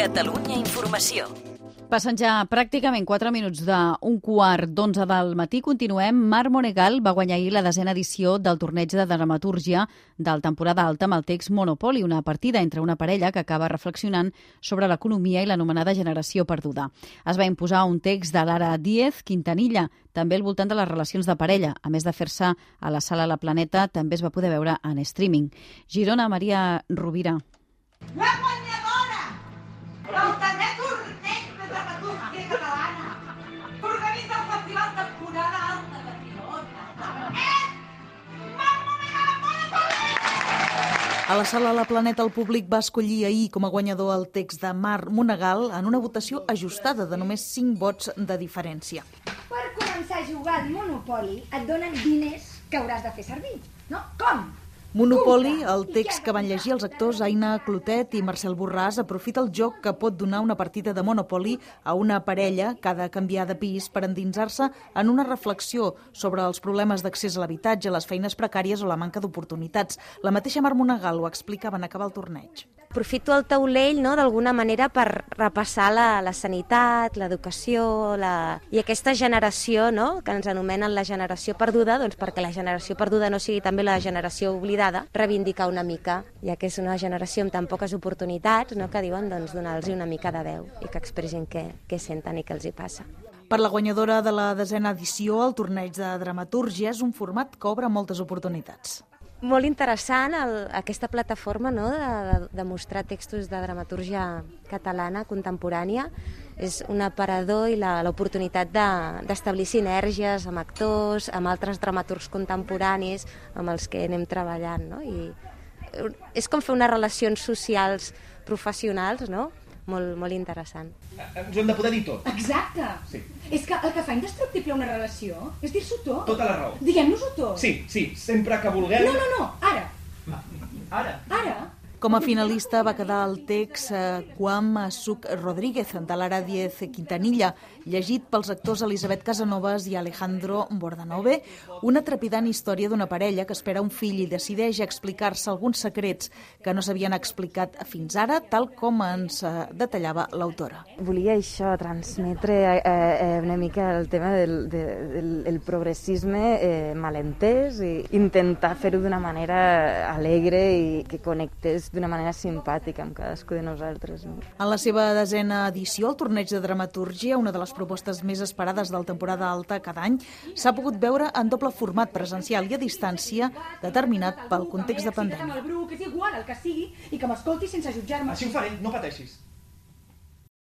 Catalunya Informació. Passen ja pràcticament 4 minuts d'un quart d'11 del matí. Continuem. Mar Monegal va guanyar ahir la 10a edició del torneig de dramatúrgia del temporada alta amb el text Monopoly, una partida entre una parella que acaba reflexionant sobre l'economia i l'anomenada generació perduda. Es va imposar un text de Lara Díez Quintanilla, també al voltant de les relacions de parella. A més de fer-se a la sala La Planeta, també es va poder veure en streaming. Girona, Maria Rovira. La guanyadora del 10è torneig de dramatúrgia catalana que organitza el Festival Temporada Alta de Girona és Mar Monegal Monopoly! A la sala La Planeta el públic va escollir ahir com a guanyador el text de Mar Monegal en una votació ajustada de només 5 vots de diferència. Per començar a jugar al Monopoly et donen diners que hauràs de fer servir, no? Com? Monopoly, el text que van llegir els actors Aina Clotet i Marcel Borràs, aprofita el joc que pot donar una partida de Monopoly a una parella que ha de canviar de pis per endinsar-se en una reflexió sobre els problemes d'accés a l'habitatge, les feines precàries o la manca d'oportunitats. La mateixa Mar Monegal ho explicava en acabar el torneig. Aprofito el taulell, no, d'alguna manera per repassar la sanitat, l'educació i aquesta generació, no, que ens anomenen la generació perduda, doncs perquè la generació perduda no sigui també la generació oblidada, reivindicar una mica, ja que és una generació amb tan poques oportunitats, no, que diuen doncs, donar-los una mica de veu i que expressin què senten i què els hi passa. Per la guanyadora de la 10a edició, el torneig de dramatúrgia és un format que obre moltes oportunitats. Molt interessant aquesta plataforma, no, de mostrar textos de dramatúrgia catalana contemporània. És un aparador i l'oportunitat d'establir sinergies amb actors, amb altres dramaturgs contemporanis amb els que anem treballant, no? I és com fer unes relacions socials professionals, no? Molt interessant. Ens ho hem de poder dir tot. Exacte. Sí. És que el que fa indestructible una relació és dir-s'ho tot. Tota la raó. Diguem-nos-ho tot. Sí, sempre que vulguem... No, ara. Ara? Com a finalista va quedar el text Quam Suc Rodríguez, de Lara Díez Quintanilla, llegit pels actors Elisabet Casanovas i Alejandro Bordanove, una trepidant història d'una parella que espera un fill i decideix explicar-se alguns secrets que no s'havien explicat fins ara, tal com ens detallava l'autora. Volia això, transmetre una mica el tema del progressisme malentès i intentar fer-ho d'una manera alegre i que connectés d'una manera simpàtica amb cadascú de nosaltres. En la seva 10a edició, el torneig de dramatúrgia, una de les propostes més esperades del temporada alta cada any, s'ha pogut veure en doble format, presencial i a distància, determinat pel context de pandèmia. Que és igual el que sigui i que m'escolti sense jutjar-me. Així ho faré, no pateixis.